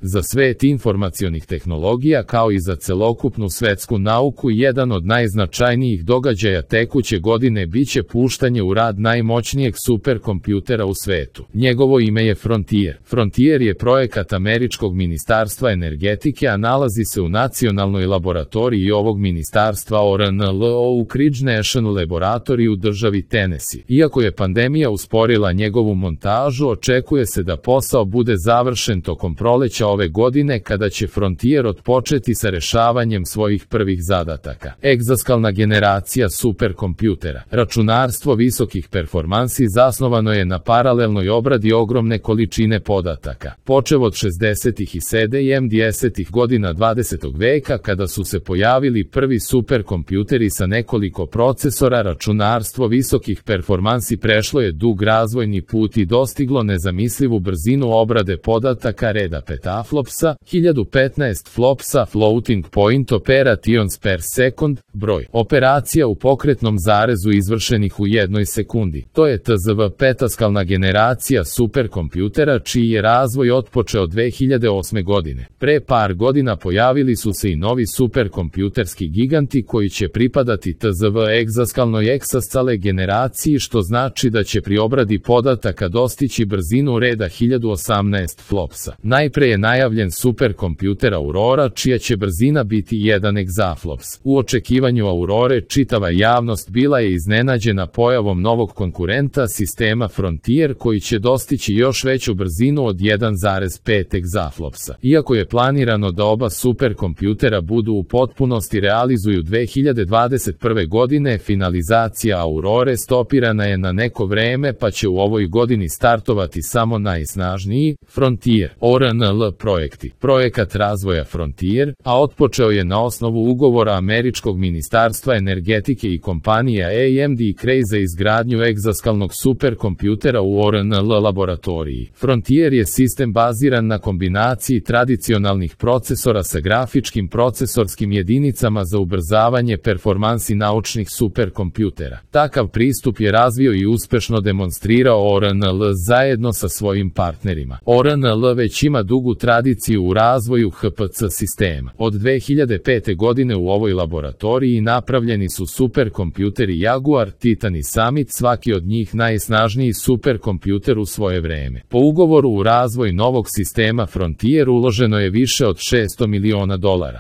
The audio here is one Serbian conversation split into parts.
Za svet informacionih tehnologija kao i za celokupnu svetsku nauku jedan od najznačajnijih događaja tekuće godine biće puštanje u rad najmoćnijeg superkompjutera u svetu. Njegovo ime je Frontier. Frontier je projekat američkog ministarstva energetike, a nalazi se u nacionalnoj laboratoriji ovog ministarstva ORNLO u Ridge National Laboratory u državi Tennessee. Iako je pandemija usporila njegovu montažu, očekuje se da posao bude završen tokom proleća ove godine kada će Frontier otpočeti sa rešavanjem svojih prvih zadataka. Egzaskalna generacija superkompjutera. Računarstvo visokih performansi zasnovano je na paralelnoj obradi ogromne količine podataka. Počev od 60. i 70. godina 20. veka kada su se pojavili prvi superkompjuteri sa nekoliko procesora, računarstvo visokih performansi prešlo je dug razvojni put i dostiglo nezamislivu brzinu obrade podataka reda petaflopsa, 1015 flopsa, floating point operations per second, broj operacija u pokretnom zarezu izvršenih u jednoj sekundi. To je TZV petaskalna generacija superkompjutera čiji je razvoj otpočeo 2008. godine. Pre par godina pojavili su se i novi superkompjuterski giganti koji će pripadati TZV egzaskalnoj eksascale generaciji, što znači da će pri obradi podataka dostići brzinu reda 1018 flopsa. Najpre je najavljen superkompjuter Aurora, čija će brzina biti 1 egzaflops. U očekivanju Aurore čitava javnost bila je iznenađena pojavom novog konkurenta sistema Frontier koji će dostići još veću brzinu od 1,5 egzaflopsa. Iako je planirano da oba superkompjutera budu u potpunosti realizuju 2021. godine, finalizacija Aurore stopirana je na neko vreme pa će u ovoj godini startovati samo najsnažniji Frontier ORNL projekti. Projekat razvoja Frontier, a otpočeo je na osnovu ugovora američkog ministarstva energetike i kompanija AMD i Cray za izgradnju egzaskalnog superkompjutera u ORNL laboratoriji. Frontier je sistem baziran na kombinaciji tradicionalnih procesora sa grafičkim procesorskim jedinicama za ubrzavanje performansi naučnih superkompjutera. Takav pristup je razvio i uspešno demonstrirao ORNL zajedno sa svojim partnerima. ORNL već ima dugu tradiciju u razvoju HPC sistema. Od 2005. godine u ovoj laboratoriji napravljeni su superkompjuteri Jaguar, Titan i Summit, svaki od njih najsnažniji superkompjuter u svoje vreme. Po ugovoru u razvoj novog sistema Frontier uloženo je više od $600 miliona.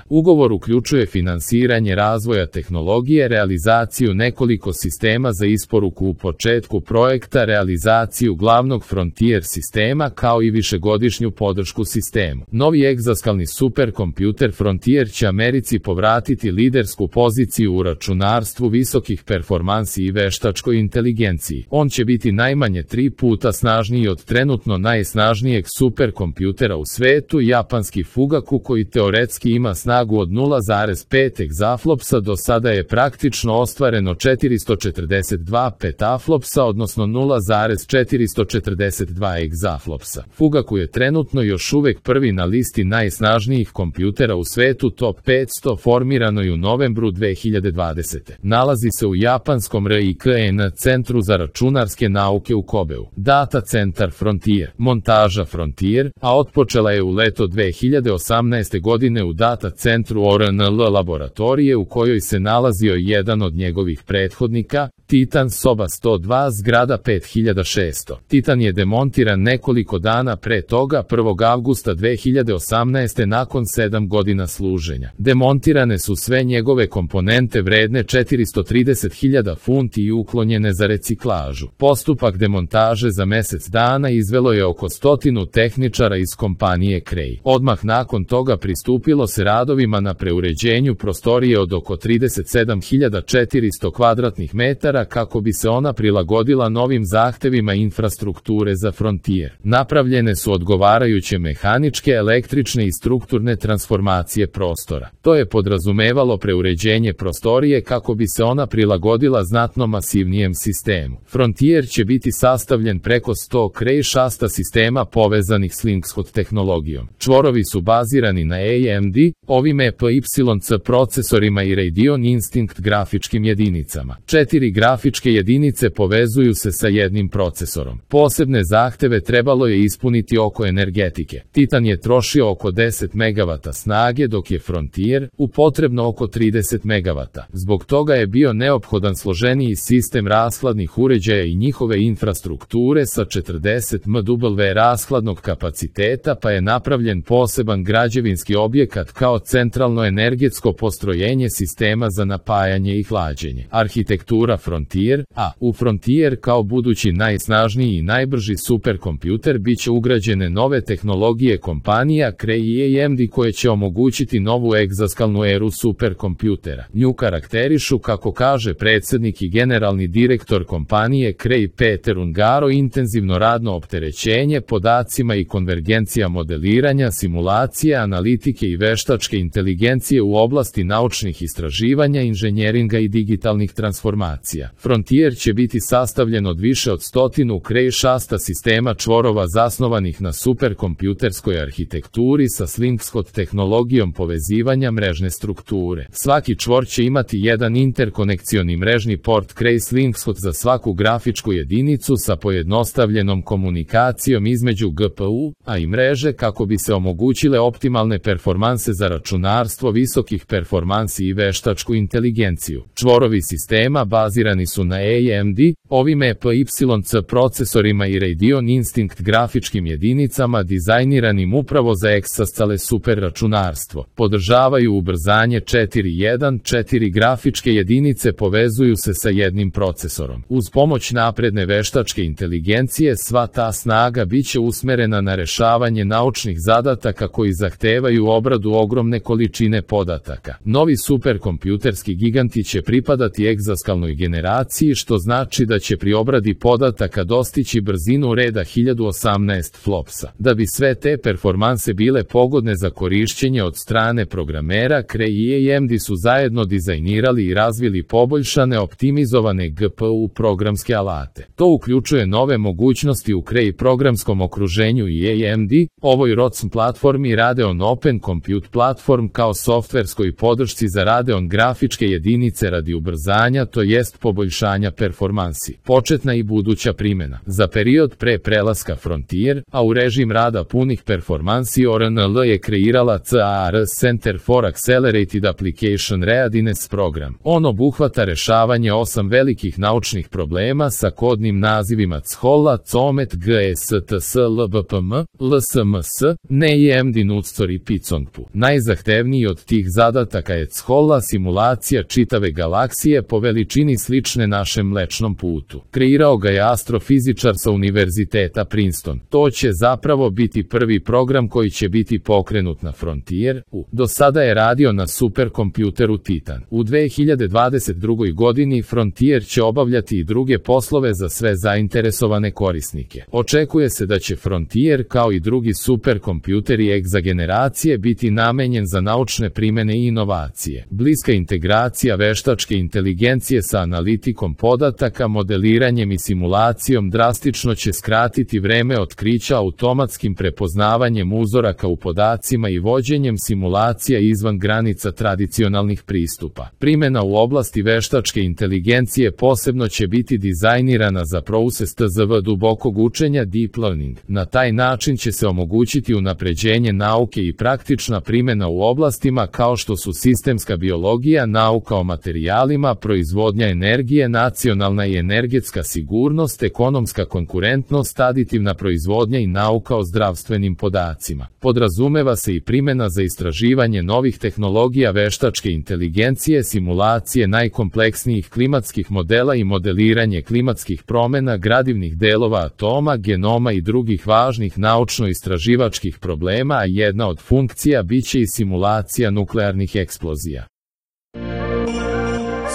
Ugovor uključuje finansiranje razvoja tehnologije, realizaciju nekoliko sistema za isporuku u početku projekta, realizaciju glavnog Frontier sistema kao i višegodišnju podršku sistemu. Novi egzaskalni superkompjuter Frontier će Americi povratiti lidersku poziciju u računarstvu visokih performansi i veštačkoj inteligenciji. On će biti najmanje 3 puta snažniji od trenutno najsnažnijeg superkompjutera u svetu, japanski Fugaku, koji teoretski ima snagu od 0,5 egzaflopsa. Do sada je praktično ostvareno 442 petaflopsa, odnosno 0,442 egzaflopsa. Fugaku je trenutno još uvek prvi na listi najsnažnijih kompjutera u svetu Top 500, formiranoj u novembru 2020. Nalazi se u japanskom RIKN centru za računarske nauke u Kobeu. Data centar Frontier, montaža Frontier, a otpočela je u leto 2018. godine u data centru ORNL laboratorije u kojoj se nalazio jedan od njegovih prethodnika, Titan soba 102, zgrada 5600. Titan je demontiran nekoliko dana pre toga, 1. avgusta 2018. nakon 7 godina služenja. Demontirane su sve njegove komponente vredne 430.000 funti i uklonjene za reciklažu. Postupak demontaže za mesec dana izvelo je oko 100 tehničara iz kompanije Cray. Odmah nakon toga pristupilo se radovima na preuređenju prostorije od oko 37.400 kvadratnih metara kako bi se ona prilagodila novim zahtevima infrastrukture za Frontier. Napravljene su odgovarajuće mehaničke, električne i strukturne transformacije prostora. To je podrazumevalo preuređenje prostorije kako bi se ona prilagodila znatno masivnijem sistemu. Frontier će biti sastavljen preko 100 Cray šasta sistema povezanih s Linkscode tehnologijom. Čvorovi su bazirani na AMD, ovim EPYC procesorima i Radeon Instinct grafičkim jedinicama. 4 grafičke jedinice povezuju se sa jednim procesorom. Posebne zahteve trebalo je ispuniti oko energetike. Titan Titan je trošio oko 10 MW snage dok je Frontier potrebno oko 30 MW. Zbog toga je bio neophodan složeniji sistem rashladnih uređaja i njihove infrastrukture sa 40 MW rashladnog kapaciteta, pa je napravljen poseban građevinski objekat kao centralno energetsko postrojenje sistema za napajanje i hlađenje. Arhitektura Frontier U Frontier kao budući najsnažniji i najbrži superkompjuter biće ugrađene nove tehnologije kompanija Cray i AMD koje će omogućiti novu egzaskalnu eru superkompjutera. Nju karakterišu, kako kaže predsjednik i generalni direktor kompanije Cray Peter Ungaro, intenzivno radno opterećenje podacima i konvergencija modeliranja, simulacije, analitike i veštačke inteligencije u oblasti naučnih istraživanja, inženjeringa i digitalnih transformacija. Frontier će biti sastavljen od više od 100 Cray šasta sistema čvorova zasnovanih na superkompjuterskoj arhitekturi sa Slingshot tehnologijom povezivanja mrežne strukture. Svaki čvor će imati jedan interkonekcioni mrežni port Cray Slingshot za svaku grafičku jedinicu sa pojednostavljenom komunikacijom između GPU i mreže kako bi se omogućile optimalne performanse za računarstvo visokih performansi i veštačku inteligenciju. Čvorovi sistema bazirani su na AMD, ovim EPYC procesorima i Radeon Instinct grafičkim jedinicama dizajniranim upravo za exascale superračunarstvo. Podržavaju ubrzanje 4.1.4 grafičke jedinice povezuju se sa jednim procesorom. Uz pomoć napredne veštačke inteligencije sva ta snaga biće usmerena na rešavanje naučnih zadataka koji zahtevaju obradu ogromne količine podataka. Novi superkompjuterski giganti će pripadati egzaskalnoj generaciji, što znači da će pri obradi podataka dostići brzinu reda 1018 flopsa. Da bi sve te performanse bile pogodne za korišćenje od strane programera, Cray i AMD su zajedno dizajnirali i razvili poboljšane optimizovane GPU programske alate. To uključuje nove mogućnosti u Cray programskom okruženju i AMD, ovoj ROCm platformi Radeon Open Compute Platform kao softverskoj podršci za Radeon grafičke jedinice radi ubrzanja, to jest poboljšanja performansi. Početna i buduća primjena. Za period pre prelaska Frontier, u režim rada punih performansi ORNL je kreirala CAR Center for Accelerated Application Readiness program. On obuhvata rešavanje 8 velikih naučnih problema sa kodnim nazivima CHOLA, COMET, GSTS, LBPM, LSMS, NEIMD, NUCTOR i PICONGPU. Najzahtevniji od tih zadataka je CHOLA, simulacija čitave galaksije po veličini slične našem Mlečnom putu. Kreirao ga je astrofizičar sa Univerziteta Princeton. To će zapravo biti prvi program koji će biti pokrenut na Frontier. Do sada je radio na superkompjuteru Titan. U 2022. godini Frontier će obavljati i druge poslove za sve zainteresovane korisnike. Očekuje se da će Frontier kao i drugi superkompjuteri egzageneracije biti namenjen za naučne primjene i inovacije. Bliska integracija veštačke inteligencije sa analitikom podataka, modeliranjem i simulacijom drastično će skratiti vreme otkrića automatskim prepoznavanjem uzoraka u podacima i vođenjem simulacija izvan granica tradicionalnih pristupa. Primjena u oblasti veštačke inteligencije posebno će biti dizajnirana za proces TZV dubokog učenja Deep Learning. Na taj način će se omogućiti unapređenje nauke i praktična primjena u oblastima kao što su sistemska biologija, nauka o materijalima, proizvodnja energije, nacionalna i energetska sigurnost, ekonomska konkurentnost, aditivna proizvodnja i nauka o zdravstvenim podacima. Podrazumeva se i primjena za istraživanje novih tehnologija veštačke inteligencije, simulacije najkompleksnijih klimatskih modela i modeliranje klimatskih promjena, gradivnih delova atoma, genoma i drugih važnih naučno-istraživačkih problema, a jedna od funkcija biće i simulacija nuklearnih eksplozija.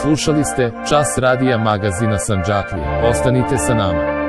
Slušali ste Čas radija magazina Sandžaklija. Ostanite sa nama.